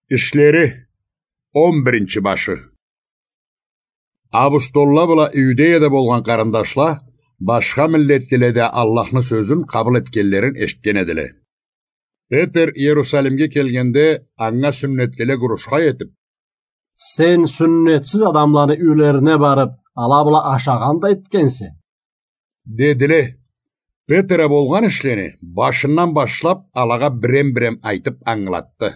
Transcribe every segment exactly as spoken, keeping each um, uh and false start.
Ишлери, он биринчи башы. Апостолла бла Иудеяда болгъан къарындашла башха миллетлиле да Аллахны сёзюн къабыл этгенлерин эшитген эдиле. Петер Иерусалимге келгенде, анга сюннетлиле гурушха этип: «Сен сюннетсиз адамланы юйлерине барып, ала бла ашагъан да этгенсе», — дедиле. Петер а болгъан ишлени башындан башлап, алагъа бирем-бирем айтып ангылатды.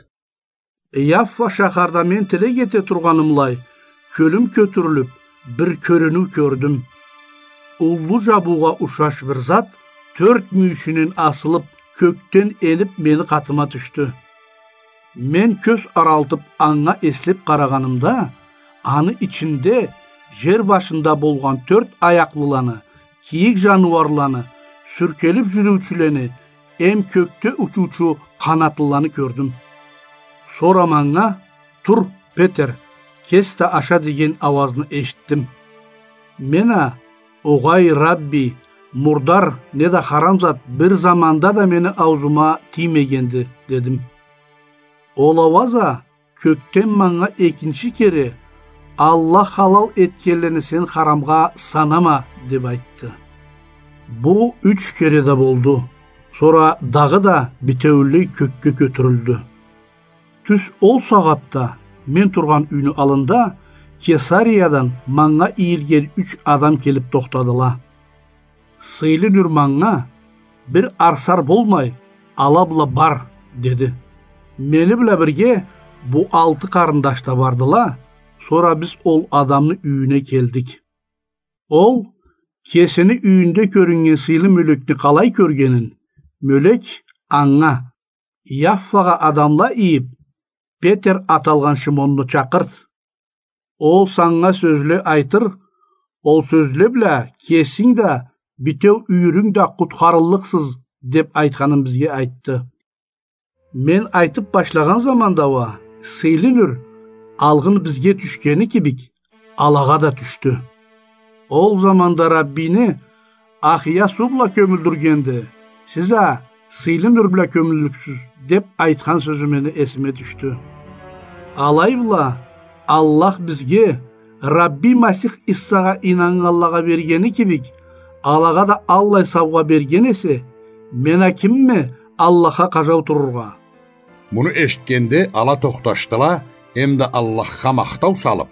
Яффа шахарда мен тилек эте тургъанымлай, кёлюм кётюрюлюп, бир кёрюнюу кёрдюм. Уллу жабыугъа ушаш бир зат тёрт мюйюшюнден асылып, кёкден энип, мени къатыма тюшдю. Мен кёз аралтып, анга эслеп къарагъанымда, аны ичинде жер башында болгъан тёрт аякълыланы, кийик жаныуарланы, сюркелип жюрюучюлени эм кёкде учуучу къанатлыланы кёрдюм. Сора манга: «Тур, Петер, кес да аша», — деген ауазны эшитдим. Мен а: «Огъай, Рабби, мурдар неда харам зат бир заманда да мени ауузума тиймегенди», — дедим. Ол ауаз а кёкден манга экинчи кере: «Аллах халал этгенлени сен харамгъа санама», — деп айтды. Бу юч кере да болду. Сора дагъыда битеулей кёкге кётюрюлдю. Тюз ол сагъатда мен тургъан юйню аллында Кесариядан манга ийилген юч адам келип тохтадыла. Сыйлы Нюр манга: «Бир арсар болмай, ала бла бар», — деди. Мени бла бирге бу алты къарындаш да бардыла, сора биз ол адамны юйюне келдик. Ол кесини юйюнде кёрюннген сыйлы мёлекни къалай кёргенин, мёлек анга: «Яффагъа адамла ийип, Петер аталгъан Шимонну чакъырт. Ол санга сёзле айтыр, ол сёзле бла кесинг да, битеу юйюрюнг да къутхарыллыкъсыз», — деп айтханын бизге айтды. Мен айтып башлагъан заманда уа Сыйлы Нюр алгъын бизге тюшгени кибик алагъа да тюшдю. Ол заманда Раббини Ахия суу бла кёмюлдюргенде, сиз а Сыйлы Нюр бла кёмюллюксюз, деп айтхан сёзю мени эсиме тюшдю. Алай бла, Аллах бизге Рабби Масих Иссагъа ийнаннганлагъа бергени кибик, алагъа да аллай саугъа берген эсе, мен а кимме Аллахха къажау турургъа? Муну эшитгенде, ала тохташдыла, эмда Аллахха махтау салып: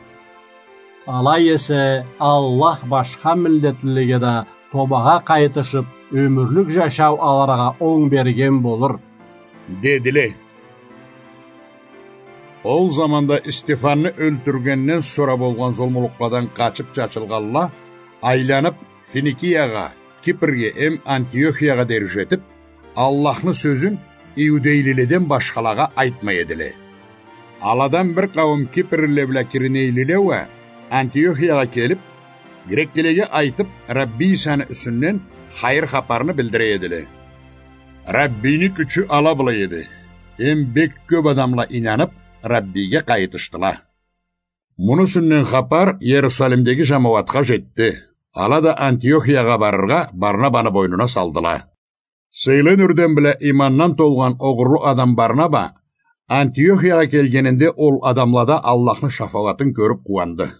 «Алай эсе, Аллах башха миллетлилеге да тобагъа къайтышып, ёмюрлюк жашау алыргъа онг берген болур», — дедиле. Ол заманда Стефанны ёлтюргенден сора болгъан зулмулукъладан къачып чачылгъанла айланып, Финикиягъа, Кипрге эм Антиохиягъа дери жетип, Аллахны сёзюн иудейлиледен башхалагъа айтмай эдиле. Аладан бир къауум кипрлиле бла киринейлиле уа Антиохиягъа келип, греклилеге айтып, Рабби Исаны юсюнден хайыр хапарны билдире эдиле. Раббини кючю ала бла эди, эм бек кёп адамла ийнанып, Раббиге къайытышдыла. Муну юсюнден хапар Иерусалимдеги жамауатха жетди. Ала да Антиохиягъа барыргъа Барнабаны бойнуна салдыла. Сыйлы Нюрден бла имандан толгъан огъурлу адам Барнаба Антиохиягъа келгенинде ол адамлада Аллахны шафагъатын кёрюп къууанды.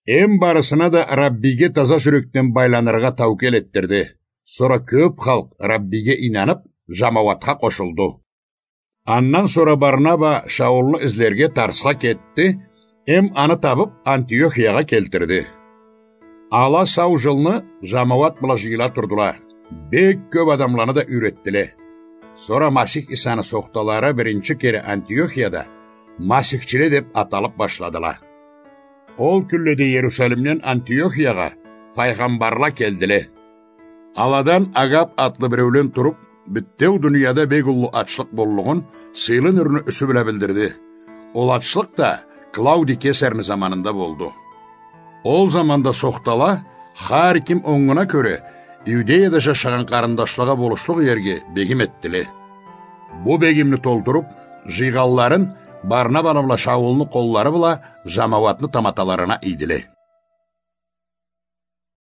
Эм барысына да Раббиге таза жюрекден байланыргъа таукел этдирди. Сора кёп халкъ Раббиге ийнанып, жамауатха къошулду. Андан сора Барнаба Шаулну излерге Тарсха кетди, эм аны табып, Антиохиягъа келтирди. Ала сау жылны жамауат бла жыйыла турдула, бек кёп адамланы да юйретдиле. Сора Масих Исаны сохталары биринчи кере Антиохияда масихчиле деп аталып башладыла. Ол кюнледе Иерусалимден Антиохиягъа файгъамбарла келдиле. Аладан Агаб атлы биреулен туруп, бютеу дунияда бек уллу ачлыкъ боллугъун Сыйлы Нюрню юсю бла билдирди. Ол ачлыкъ да Клаудий Кесарны заманында болду. Ол заманда сохтала, хар ким онгуна кёре, Иудеяда жашагъан къарындашлагъа болушлукъ ерге бегим этдиле. Бу бегимни толтуруп, жыйгъанларын Барнабаны бла Шаулну къоллары бла жамауатны таматаларына ийдиле.